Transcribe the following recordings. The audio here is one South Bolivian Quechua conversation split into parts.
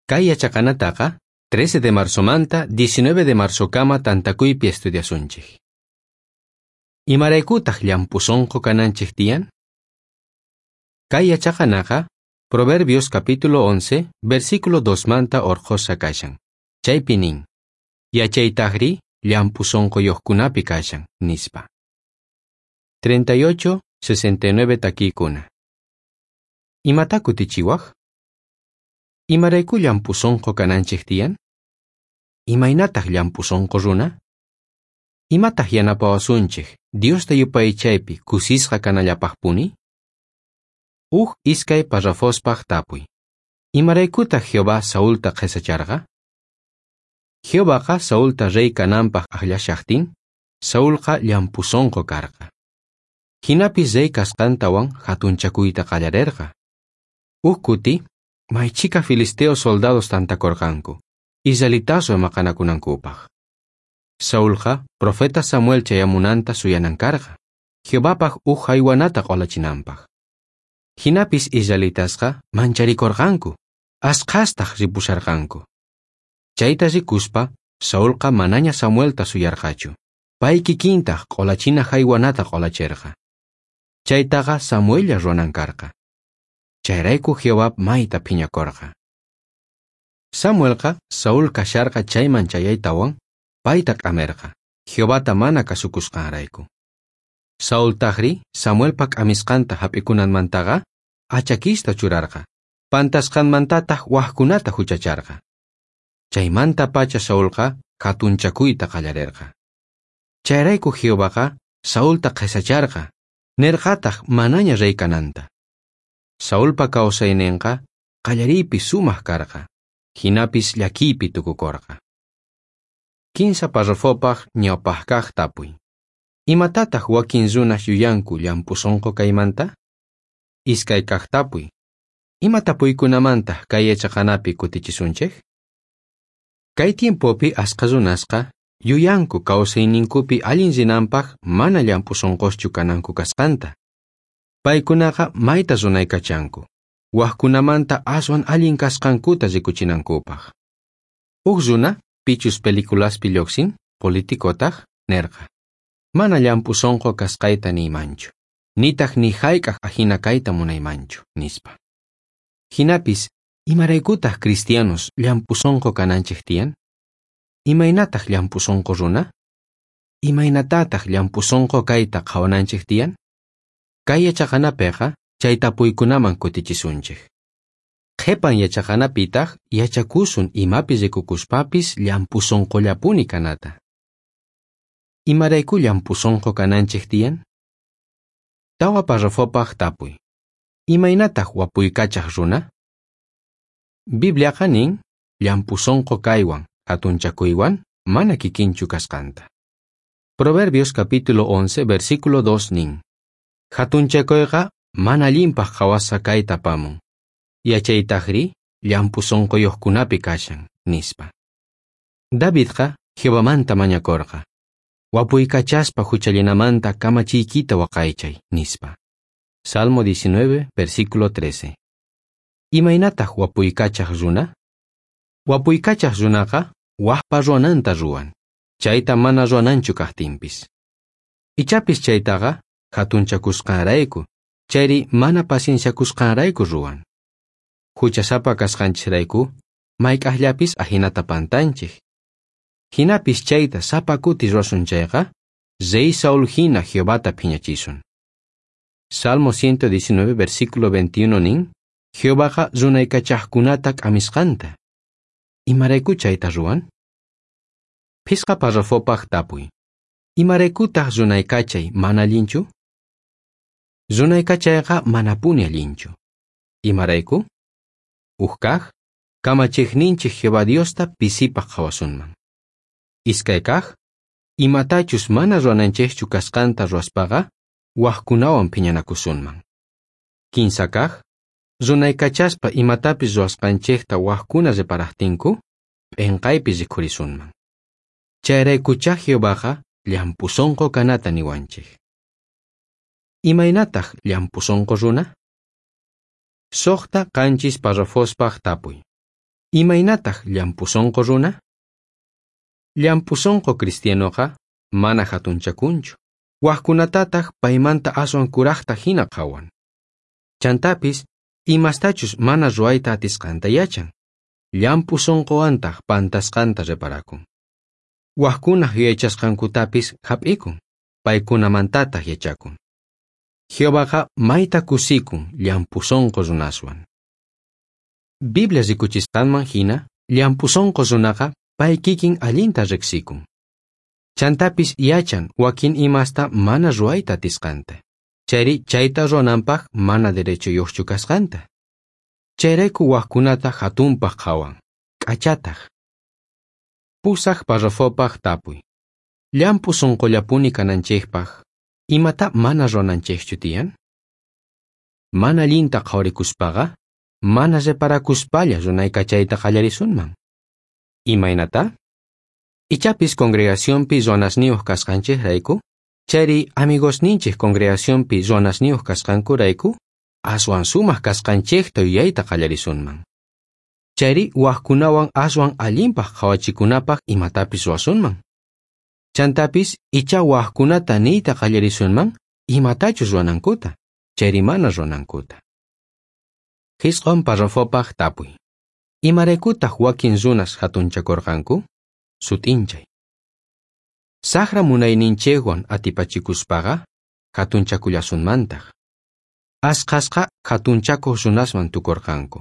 Kay yachaqanataqa 13 de marzomanta 19 de marzokama tantakuypi estudiasunchik. Imaraykutaq llamp'u sunqu kananchik tiyan? Kay yachaqanaqa Proverbios capítulo 11, versículo 2 manta orqhusqa kashan. Chaypi nin: Yachaytajri llamp'u sunquyuqkunapi kashan, nispa. 38, 69 takiykuna. Imata kutichiwaj? Imarayku llamp'u sunqu kananchik tiyan? Imaynataq llamp'u sunqu runa? Imataq yanapawasunchik Diosta yupaychaypi kusisqa kanallapaqpuni? Uj iskay parrafospaq tapuy. Imaraykutaq Jehová Saulta qhisacharqa? Jehovaqa Saulta rey kananpaq akllashaqtin, Saulqa llamp'u sunqu karqa. Jinapis rey kasqantawan hatunchakuyta qallarerqa. Uj kuti, may chhika filisteo soldados tantakorqanku, israelitaswan maqanakunankupaq. Saulqa profeta Samuel chayamunanta suyanan karqa, Jehovapaq uj jaywanata q'olachinanpaq. Jinapis israelitasqa mancharikorqanku, asqhastaq ripusharqanku. Chayta rikuspa, Saulqa manaña Samuelta suyarqachu. Pay kikintaq q'olachina jaywanata q'olacherqa. Chaytaqa Samuella ruwanan karqa. Chayrayku Jehová mayta phiñakorqa. Samuelqa Saúl kasharqa chayman chayaytawan payta k'amerqa, Jehovata mana kasukusqanrayku. Saultajri Samuelpa k'amisqanta hap'ikunanmantaqa achakista churarqa, pantasqanmantataq wajkunata huchacharqa. Chaymanta pacha Saulqa hatunchakuyta qallarerqa. Chayrayku Jehovaqa Saulta qhisacharqa, nerqataq manaña rey kananta. Saulpa kawsayninqa qallariypi sumaq karqa, jinapis llakiypi tukukorqa. Kinsa parrafopaq ñawpaqkaq tapuy. Imatataq wakin runas yuyanku llamp'u sunqu kaymanta? Iskay kaq tapuy. Ima tapuykunamantaq kay yachaqanapi kutichisunchik? Kay tiempopi asqa runasqa yuyanku kawsayninkupi allin rinanpaq mana llamp'u sunquschu kananku kasqanta. Paykunaqa mayta runaykachanku, wajkunamanta aswan allin kasqankuta rikuchinankupaq. Uj runa pichus peliculaspi lluqsin, politicotaq, nerqa: Mana llamp'u sunqu kasqayta niymanchu, nitaq ni hayk'aq ajina kayta munaymanchu, nispa. Jinapis, imaraykutaq cristianos llamp'u sunqu kananchik tiyan? Imaynataq llamp'u sunqu runa? Imaynatataq llamp'u sunqu kayta qhawananchik tiyan? Kay yachaqanapiqa chay tapuykunaman kutichisunchik. Qhipan yachaqanapitaq yachakusun imapi rikukuspapis llamp'u sunqullapuni kanata. Imarayku llamp'u sunqu kananchik tiyan? Tawa parrafopaq tapuy. Imaynataq wapuykachaq runa? Bibliaqa nin llamp'u sunqu kaywan hatunchakuywan mana kikinchu kasqanta. Proverbios capítulo 11 versículo 2 nin: Hatunchakuyqa mana allinpaq qhawasqa kayta apamun. Yachaytajri llamp'u sunquyuqkunapi kashan, nispa. Davidqa Jehovamanta mañakorqa: Wapuykachaspa huchallinamanta kamachiykita waqaychay, nispa. Salmo 19, versículo 13. Imaynataq wapuykachaq runa? Wapuykachaq runaqa wajpa ruwananta ruwan, chayta mana ruwananchu kaqtinpis. Ichapis chaytaqa hatunchakusqanrayku, chayri mana pacienciakusqanrayku ruwan. Huchasapa kasqanchisrayku, mayk'aqllapis ajinata pantanchik. Jinapis chayta sapa kuti ruwasun chayqa, rey Saúl hina Jehovata phiñachisun. Salmo 119, versículo 21 nin, Jehovaqa runaykachaqkunata k'amisqanta. Imarayku chayta ruwan? Phisqa parrafopaq tapuy. Imaraykutaq runaykachay mana allinchu? Runaykachayqa manapuni allinchu. Imarayku? Uj kaq, kamachiqninchik Jehová Diosta pisipaq qhawasunman. Iskay kaq, imatachus mana ruwananchikchu kasqanta ruwaspaqa, wajkunawan phiñanakusunman. Kinsa kaq, runaykachaspa imatapis ruwasqanchikta wajkuna reparaqtinku, p'inqaypi rikhurisunman. Chayraykuchá Jehovaqa llamp'u sunqu kanata niwanchik. Imaynataq llamp'u sunqu runa? Suqta qanchis parrafospaq tapuy. Imaynataj llamp'u sonqo runa? Llamp'u sonqo cristianoqa mana jatunchakunchu, wajkunatataj paymanta aswan kurajta jina qhawan. Chantapis imastachus mana ruwayta atisqanta yachan, llamp'u sonqowantaj pantasqanta reparakun. Wajkunaj yuyaychasqankutapis jap'ikun, paykunamantataj yachakun. Jehovaqa mayta kusikun llamp'u sonqo runaswan. Biblia rikuchisqanman jina, llamp'u sonqo runaqa pay kikin allinta riqsikun. Chantapis yachan wakin imasta mana ruwayta atisqanta, chayri chayta ruwananpaj mana derechoyuqchu kasqanta. Chayrayku wajkunata jatunpaj qhawan, k'achataj. Pusaj parrafopaj tapuy. Llamp'u sonqollapuni kananchejpaj, imata mana ruwananchejchu tiyan? Mana allinta qhawarikuspaqa, mana reparakuspalla runaykachayta qallarisunman. Imaynata? Ichapis congregacionpi ruwanasniyuq kasqanchejrayku, chayri amigosninchej congregacionpi ruwanasniyuq kasqankurayku, aswan sumaq kasqanchejta yuyayta qallarisunman. Chayri wajkunawan aswan allinpaj qhawachikunapaj imatapis ruwasunman. Chantapis icha wajkunata niyta qallarisunman imatachus ruwanankuta, chayri mana ruwanankuta. Jisq'on parrafopaj tapuy. Imaraykutaj wakin runas jatunchakorqanku? Sut'inchay. Sajra munayninchejwan atipachikuspaqa jatunchakullasunmantaj. Asqhasqa jatunchakuq runasman tukorqanku.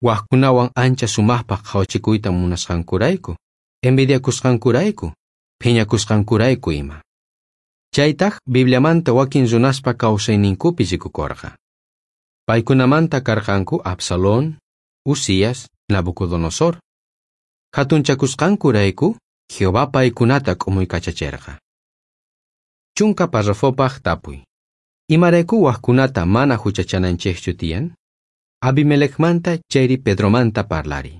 Wajkunawan ancha sumajpaj qhawachikuyta munasqankurayku, envidiakusqankurayku, phiñakusqankurayku ima. Chaytaj Bibliamanta wakin runaspa kawsayninkupi rikukorqa. Paykunamanta karqanku Absalón, Uzías, Nabucodonosor. Jatunchakusqankurayku Jehová paykunata k'umuykachacherqa. Chunka parrafopaj tapuy. Imarayku wajkunata mana juchachananchejchu tiyan? Abimelecmanta chayri Pedromanta parlari.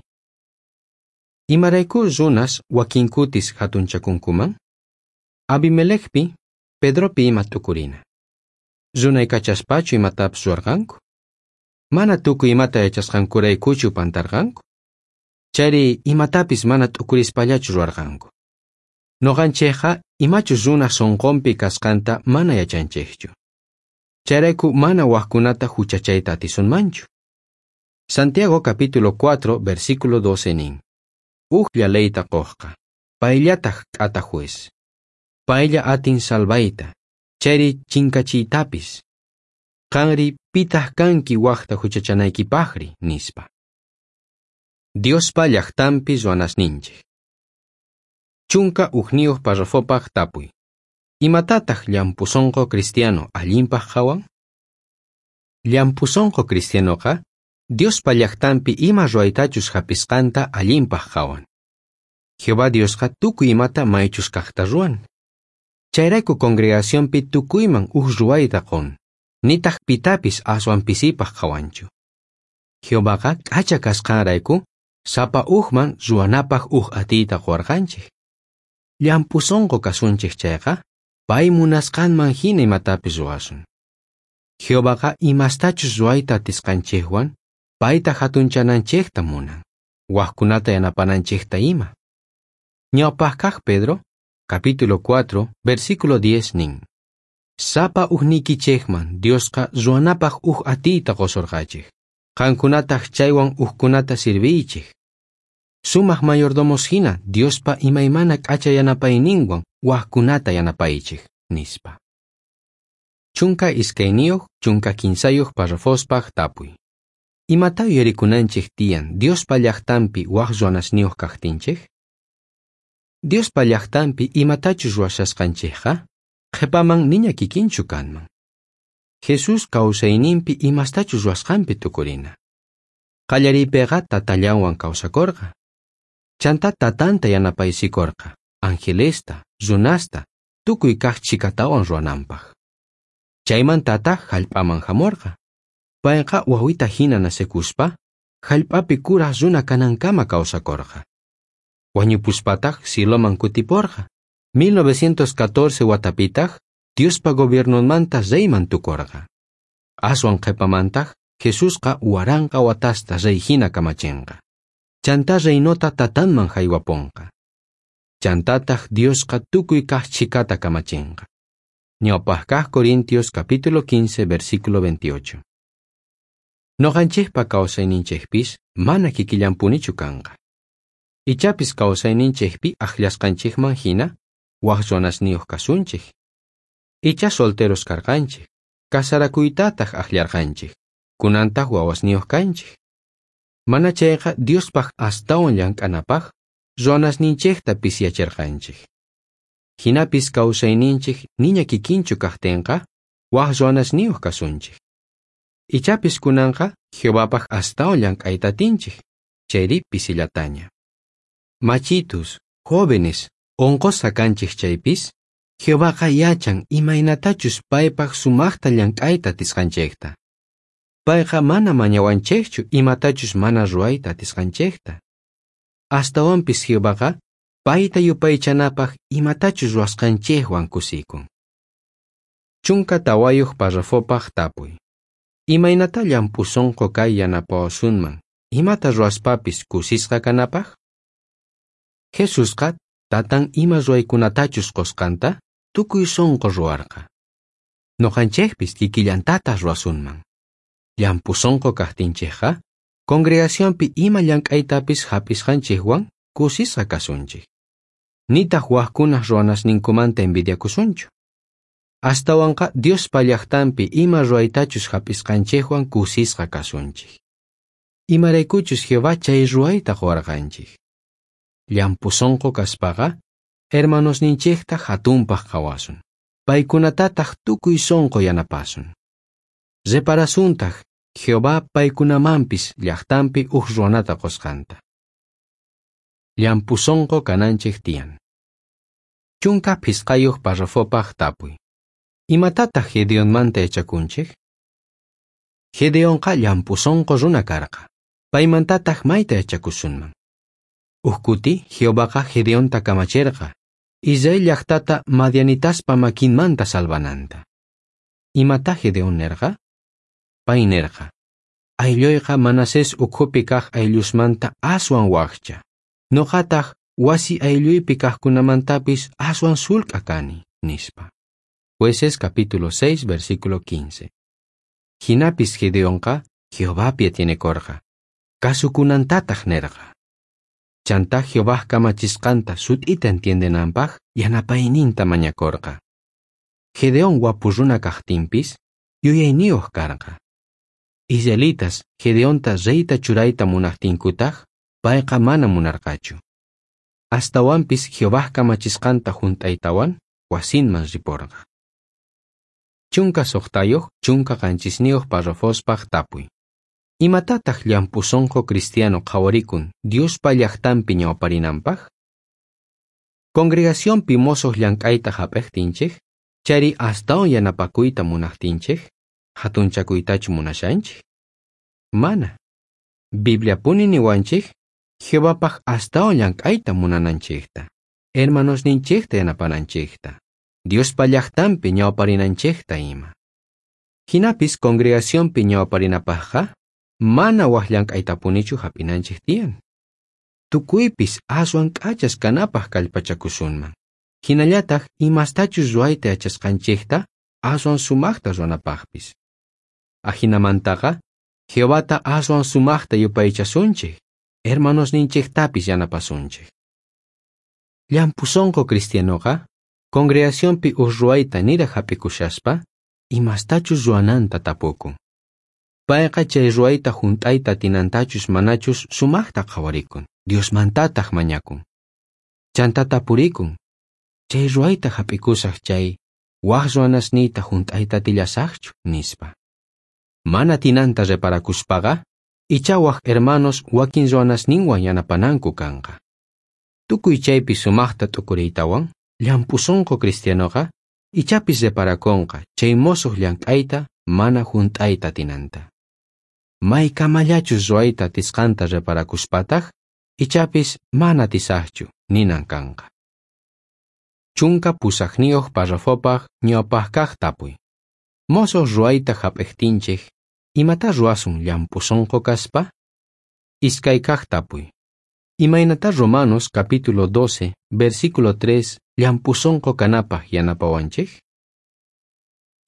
Imarayku runas wakinkutis jatunchakunkuman? Abimelecpi, Pedropi ima t'ukurina. Runaykachaspachu imatapis ruwarqanku? Mana tukuy imata yachasqankuraykuchu pantarqanku? Chayri imatapis mana t'ukurispallachu ruwarqanku. Noqanchejqa imachus runaj sonqonpi kasqanta mana yachanchejchu. Chayrayku mana wajkunata juchachayta atisunmanchu. Santiago capítulo 4, versículo 12 nin. Ujlla leyta qojqa, payllataj k'ata juez. Paylla atin salvayta, chayri chinkachiytapis. Qanri pitaq kanki wajta juchachanaykipajri, nispa. Diospa llajtanpi ruwanasninchej. 11 parrafopaj tapuy. Imatataj llamp'u sonqo cristiano allinpaj qhawan? Llamp'u sonqo cristianoqa Diospa llajtanpi ima ruwaytachus jap'isqanta allinpaj qhawan. Jehová Diosqa tukuy imata maychus kajta ruwan. Chayrayku congregacionpi tukuyman uj ruwayta qon, nitaj pitapis aswan pisipaj qhawanchu. Jehovaqa k'acha kasqanrayku sapa ujman ruwanapaj uj atiyta quwarqanchej. Llamp'u sonqo kasunchej chayqa, pay munasqanman jina imatapis ruwasun. Jehovaqa imastachus ruwayta atisqanchejwan payta jatunchananchejta munan, wajkunata yanapananchejta ima. Ñawpaj kaj Pedro, capítulo 4, versículo 10 nin. Sapa ujniykichejman Diosqa ruwanapaj uj atiyta qosorqachej, qankunataj chaywan ujkunata sirviychej. Sumaj mayordomos jina Diospa imaymana k'acha yanapayninwan wajkunata yanapaychej, nispa. 12, 13 parrafospaj tapuy. Imata yuyarikunanchej tiyan Diospa llajtanpi waj ruwanasniyuq kajtinchej? Diospa llajtanpi imatachus ruwashasqanchejqa qhepaman niña kikinchu kanman. Jesús kawsayninpi imastachus ruwasqanpi tukurina. Qallariypiqa tatallanwan kawsakorqa. Chanta tatanta yanapaysikorqa, angelesta, runasta, tukuy kaj chhikatawan ruwananpaj. Chaymantataj jallp'aman jamorqa. Payqa wawita jina nacekuspa, jallp'api kuraj runa kanankama kawsakorqa. Wañupuspataj cieloman kutiporqa. 1914 watapitaj Diospa gobiernonmanta reyman tukorqa. Aswan qhepamantaj Jesusqa 1000 watasta rey jina kamachenqa. Chantá reinota Tatanman jaywaponqa. Chantataj Diosqa tukuy kaj chhikata kamachenqa. Ñawpaj kaj Corintios capítulo 15 versículo 28. Noqanchejpa kawsayninchejpis mana kikillanpunichu kanqa. Ichapis kawsayninchejpi ajllasqanchejman jina waj runasniyuq kasunchej. Icha solteros karqanchej, kasarakuytataj ajllarqanchej, kunantaj wawasniyuq kanchej. Mana chayqa Diospaj astawan llank'anapaj ruwanasninchejta pisyacherqanchej. Jinapis kawsayninchej niña kikinchu kajtenqa waj ruwanasniyuq kasunchej. Ichapis kunanqa Jehovapaj astawan llank'ayta atinchej, chayri pisillataña. Machitus, jóvenes, onqosqa kanchej chaypis, Jehovaqa yachan imaynatachus paypaj sumajta llank'ayta atisqanchejta. Payqa mana mañawanchejchu imatachus mana ruwayta atisqanchejta. Astawanpis Jehovaqa payta yupaychanapaj imatachus ruwasqanchejwan kusikun. 14 parrafopaj tapuy. Imaynata llamp'u sonqo kay yanapawasunman imata ruwaspapis kusisqa kanapaj? Jesusqa tatan ima ruwaykunatachus qosqanta tukuy sonqo ruwarqa. Noqanchejpis kikillantataj ruwasunman. Llamp'u sonqo kajtinchejqa congregacionpi ima llank'aytapis jap'isqanchejwan kusisqa kasunchej. Nitaj wajkunaj ruwanasninkumanta envidiakusunchu. Astawanqa Diospa llajtanpi ima ruwaytachus jap'isqanchejwan kusisqa kasunchej. Imaraykuchus Jehová chay ruwayta quwarqanchej. Llamp'u sonqo kaspaqa hermanosninchejta jatunpaj qhawasun. Paykunatataj tukuy sonqo yanapasun. Reparasuntaj Jehová paykunamanpis llajtanpi uj ruwanata qosqanta. Llamp'u sonqo kananchej tiyan. 15 parrafopaj tapuy. Imatataj Gedeonmanta yachakunchej? Gedeonqa llamp'u sonqo runa karqa. Paymantataj mayta yachakusunman. Uj kuti Jehovaqa Gedeonta kamacherqa, Israel llajtata madianitaspa makinmanta salvananta. Imata Gedeón nerqa? Pay nerqa: Aylloyqa Manasés ukhupi kaj ayllusmanta aswan wajcha. Noqataj wasi aylluypi kajkunamantapis aswan sulk'a kani, nispa. Jueces capítulo 6 versículo 15. Jinapis Gedeonqa Jehovapi atienekorqa, kasukunantataj nerqa. Chantá Jehovaj kamachisqanta sut'ita entiendenanpaj yanapayninta mañakorqa. Gedeón wapu runa kajtinpis yuyayniyuq karqa. Israelitas Gedeonta reyta churayta munajtinkutaj payqa mana munarqachu. Astawanpis Jehovaj kamachisqanta junt'aytawan wasinman riporqa. 16 17 parrafospaj tapuy. Imatataj llamp'u sonqo cristiano qhawarikun Diospa llajtanpi ñawparinanpaj? Congregacionpi mosoj llank'ayta jap'ejtinchej, chayri astawan yanapakuyta munajtinchej, jatunchakuytachu munashanchej? Mana. Bibliapuni niwanchej Jehovapaj astawan llank'ayta munananchejta, hermanosninchejta yanapananchejta, Diospa llajtanpi ñawparinanchejta ima. Jinapis congregacionpi ñawparinapajqa mana waj llank'aytapunichu jap'inanchej tiyan. Tukuypis aswan k'achas kanapaj kallpachakusunman. Jinallataj imastachus ruwayta yachasqanchejta aswan sumajta ruwanapajpis. Ajinamantaqa Jehovata aswan sumajta yupaychasunchej, hermanosninchejtapis yanapasunchej. Llamp'u sonqo cristianoqa congregacionpi uj ruwayta niraj jap'ikushaspa imastachus ruwananta tapukun. Payqa chay ruwayta junt'ayta atinantachus manachus sumajta qhawarikun, Diosmantataj mañakun. Chantá tapurikun, chay ruwayta jap'ikusaj chay waj ruwanasniyta junt'ayta atillasajchu, nispa. Mana atinanta reparakuspaqa, ichá waj hermanos wakin ruwanasninwan yanapananku kanqa. Tukuy chaypi sumajta t'ukuriytawan, llamp'u sonqo cristianoqa ichapis reparakonqa chay mosoj llank'ayta mana junt'ayta atinanta. Maykamallachus ruwayta atisqanta reparakuspataj, ichapis mana atisajchu ninan kanqa. 18 parrafopaj ñawpaj kaj tapuy. Mosoj ruwayta jap'ejtinchej, imata ruwasun llamp'u sonqo kaspa? 2 kaj tapuy. Imaynatá Romanos capítulo 12, versículo 3 llamp'u sonqo kanapaj yanapawanchej?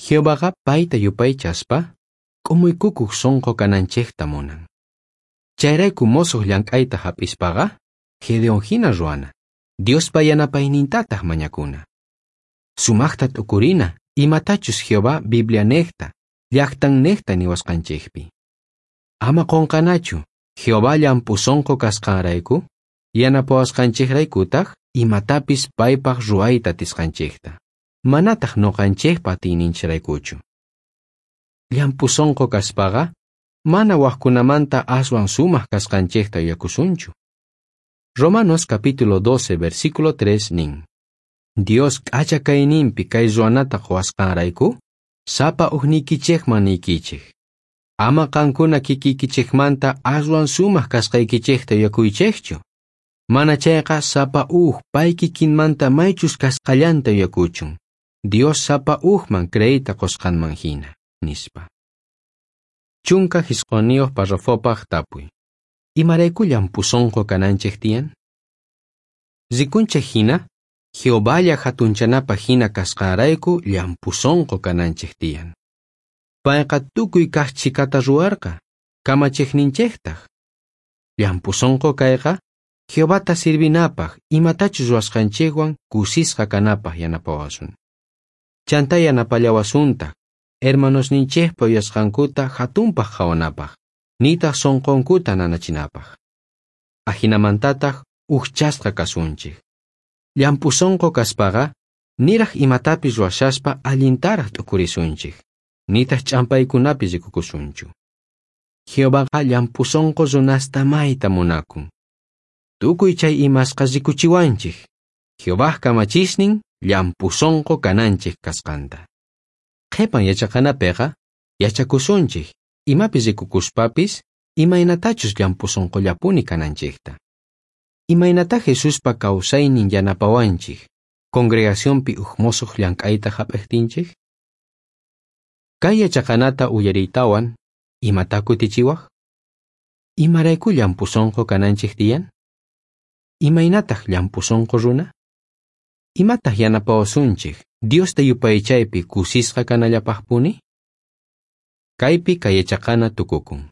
Jehovaqa payta yupaychaspa k'umuykukoj sonqo kananchejta munan. Chayrayku mosoj llank'ayta hap'ispaqa Gedeón hina ruwana, Diospa yanapaynintataq mañakuna. Sumaqta t'ukurina imatachus Jehová Biblianejta, llaqtannejta niwasqanchejpi. Ama qunqanachu, Jehová llamp'u sonqo kasqanrayku, yanapawasqanchejraykutaq imatapis paypaq ruwayta atisqanchejta. Manataq nuqanchejpa atiyninchiraykuchu. Llamp'u sonqo kaspaqa, mana wajkunamanta aswan sumaq kasqanchejta yuyakusunchu. Romanos capítulo 12 versículo 3 nin: Dios k'acha kayninpi kay ruwanata quwasqanrayku, sapa ujniykichejman niykichej. Ama qankuna kikiykichejmanta aswan sumaq kasqaykichejta yuyakuychejchu. Mana chayqa sapa uj pay kikinmanta maychus kasqallanta yuyakuchun. Dios sapa ujman creeyta qusqanman hina, nispa. 19 parrafopaj tapuy. Imarayku llamp'u sonqo kananchej tiyan? Rikunchej hina, Jehovalla hatunchanapaj hina kasqanrayku llamp'u sonqo kananchej tiyan. Payqa tukuy kaj chhikata ruwarqa, kamachejninchejtaj. Llamp'u sonqo kayqa Jehovata sirvinapaj imatachus ruwasqanchejwan kusisqa kanapaj yanapawasun. Chantá yanapallawasuntaq hermanosninchejpa yuyasqankuta hatunpaj qhawanapaj, nitaq sonqonkuta nanachinapaj. Ajinamantataq ujchasqa kasunchej. Llamp'u sonqo kaspaqa niraj imatapis ruwashaspa allintaraj t'ukurisunchej, nitaq ch'ampaykunapi rikukusunchu. Jehovaqa llamp'u sonqo runasta mayta munakun. Tukuy chay imasqa rikuchiwanchej, Jehovaj kamachisnin llamp'u sonqo kananchej kasqanta. Qhipan yachaqanapiqa yachakusunchej imapi rikukuspapis imaynatachus llamp'u sonqollapuni kananchejta. Imaynatá Jesuspa kawsaynin yanapawanchej congregacionpi uj mosoj llank'ayta hap'ejtinchej? Kay yachaqanata uyariytawan, imatá kutichiwaj? Imarayku llamp'u sonqo kananchej tiyan? Imaynataq llamp'u sonqo runa? Imataq yanapawasunchej Diosta yupaychaypi kusisqa kanallapaqpuni? Kaypi kay yachaqana tukukun.